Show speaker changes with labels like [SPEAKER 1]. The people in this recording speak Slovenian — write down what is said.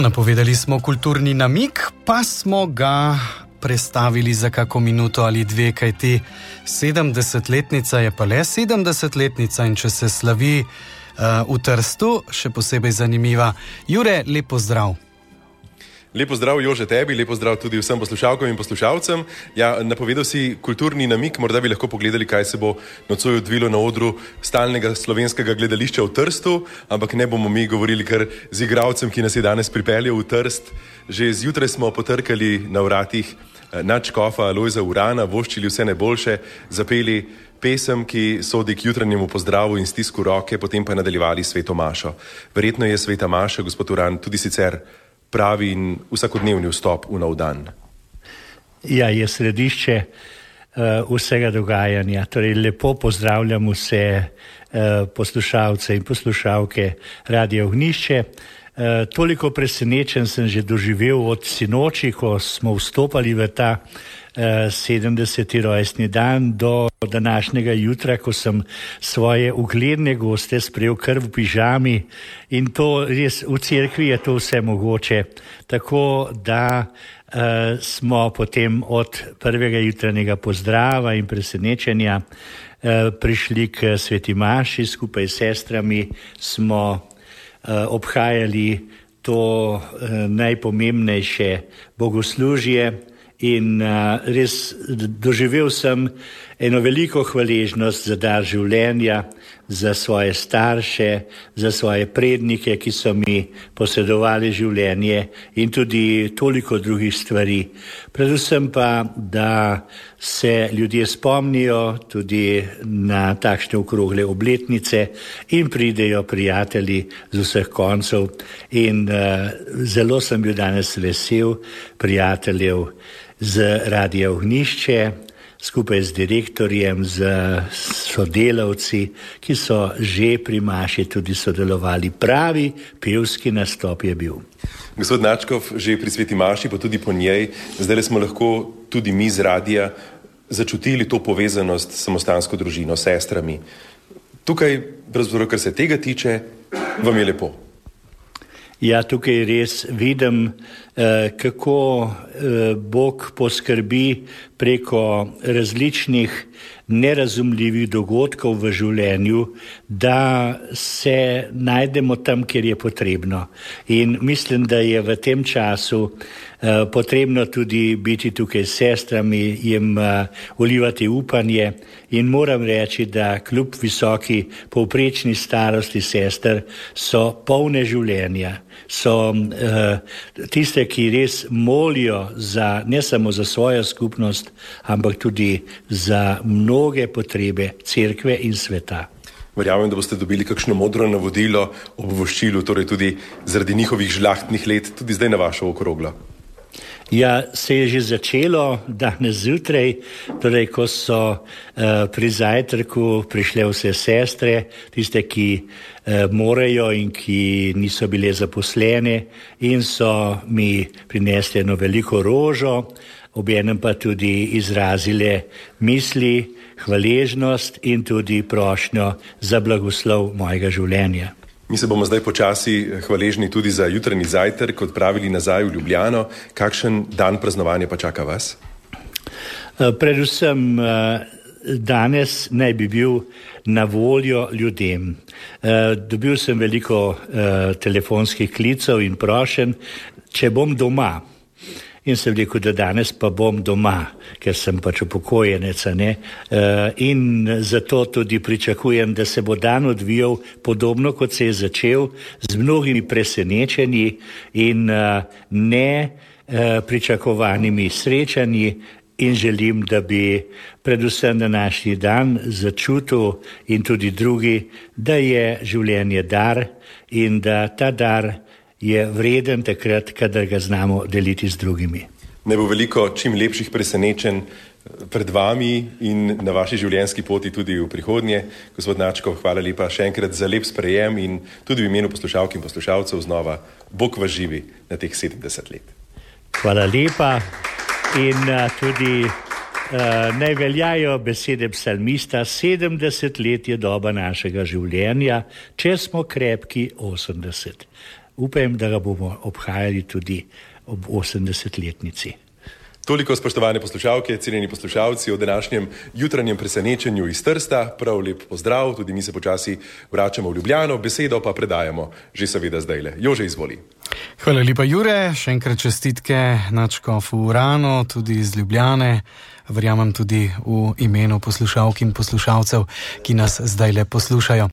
[SPEAKER 1] Napovedali smo kulturni namig, pa smo ga prestavili za kako minuto ali dve, kajti 70-letnica je pa le 70-letnica in če se slavi v Trstu, še posebej zanimiva. Jure, lep pozdrav.
[SPEAKER 2] Lepo zdrav, Jože, tebi, lepo zdrav tudi vsem poslušalkam in poslušalcem. Ja, napovedal si kulturni namig, morda bi lahko pogledali, kaj se bo nocoj odvilo na odru stalnega slovenskega gledališča v Trstu, ampak ne bomo mi govorili kar z igralcem, ki nas je danes pripeljal v Trst. Že zjutraj smo potrkali na vratih nadškofa Lojza Urana, voščili vse najboljše, zapeli pesem, ki sodi k jutranjemu pozdravu in stisku roke, potem pa nadaljevali sveto mašo. Verjetno je sveta maša, gospod Uran, tudi sicer pravi in vsakodnevni vstop v nov dan.
[SPEAKER 3] Ja, je središče vsega dogajanja. Torej, lepo pozdravljam vse poslušalce in poslušalke Radia Ognjišče. Toliko presenečen sem že doživel od sinoči, ko smo vstopali v ta 70. rojstni dan do današnjega jutra, ko sem svoje ugledne goste sprejel kar v pižami in to res v cerkvi je to vse mogoče. Tako da smo potem od prvega jutranjega pozdrava in presenečenja prišli k sveti maši, skupaj s sestrami smo obhajali to najpomembnejše bogoslužje. In res doživel sem eno veliko hvaležnost za dar življenja, za svoje starše, za svoje prednike, ki so mi posedovali življenje in tudi toliko drugih stvari. Predvsem pa, da se ljudje spomnijo tudi na takšne okrogle obletnice in pridejo prijatelji z vseh koncev. In zelo sem bil danes vesel prijateljev z Radia Ognjišče, skupaj z direktorjem, z sodelavci, ki so že pri maši tudi sodelovali. Pravi pevski nastop je bil.
[SPEAKER 2] Gospod Nadškof, že pri sveti maši, pa tudi po njej, zdaj smo lahko tudi mi z radija začutili to povezanost s samostansko družino, sestrami. Tukaj, pravzaprav, kar se tega tiče, vam je lepo.
[SPEAKER 3] Ja, tukaj res vidim, kako Bog poskrbi preko različnih nerazumljivih dogodkov v življenju, da se najdemo tam, kjer je potrebno. In mislim, da je v tem času potrebno tudi biti tukaj s sestrami, jim vlivati upanje in moram reči, da kljub visoki povprečni starosti sester so polne življenja, so tiste, ki res molijo ne samo za svojo skupnost, ampak tudi za mnoge potrebe cerkve in sveta.
[SPEAKER 2] Verjamem, da boste dobili kakšno modro navodilo ob voščilu, torej tudi zaradi njihovih žlahtnih let, tudi zdaj na vašo okroglo.
[SPEAKER 3] Ja, se je že začelo danes zjutraj, torej ko so pri zajtrku prišle vse sestre, tiste, ki morajo in ki niso bile zaposlene in so mi prinesli eno veliko rožo, obenem pa tudi izrazile misli, hvaležnost in tudi prošnjo za blagoslov mojega življenja.
[SPEAKER 2] Mi se bomo zdaj počasi hvaležni tudi za jutranji zajtrk odpravili nazaj v Ljubljano. Kakšen dan praznovanja pa čaka vas?
[SPEAKER 3] Predvsem danes naj bi bil na voljo ljudem. Dobil sem veliko telefonskih klicev in prošenj, če bom doma. In sem rekel, da danes pa bom doma, ker sem pač upokojenec, in zato tudi pričakujem, da se bo dan odvijal podobno, kot se je začel, z mnogimi presenečenji in pričakovanimi srečanji in želim, da bi predvsem današnji dan začutil in tudi drugi, da je življenje dar in da ta dar je vreden takrat, kadar ga znamo deliti z drugimi.
[SPEAKER 2] Ne bo veliko čim lepših presenečenj pred vami in na vaši življenjski poti tudi v prihodnje. Gospod Nadškof, hvala lepa še enkrat za lep sprejem in tudi v imenu poslušalk in poslušalcev znova Bog vas živi na teh 70 let.
[SPEAKER 3] Hvala lepa in tudi naj veljajo besede psalmista, 70 let je doba našega življenja, če smo krepki 80. upam, da ga bomo obhajali tudi ob 80-letnici.
[SPEAKER 2] Toliko, spoštovane poslušalke, cenjeni poslušalci, o današnjem jutranjem presenečenju iz Trsta. Prav lep pozdrav, tudi mi se počasi vračamo v Ljubljano, besedo pa predajamo že seveda zdajle. Jože, izvoli.
[SPEAKER 1] Hvala lepa, Jure, še enkrat čestitke nadškofu Urano, tudi iz Ljubljane, verjamem tudi v imenu poslušalk in poslušalcev, ki nas zdajle poslušajo.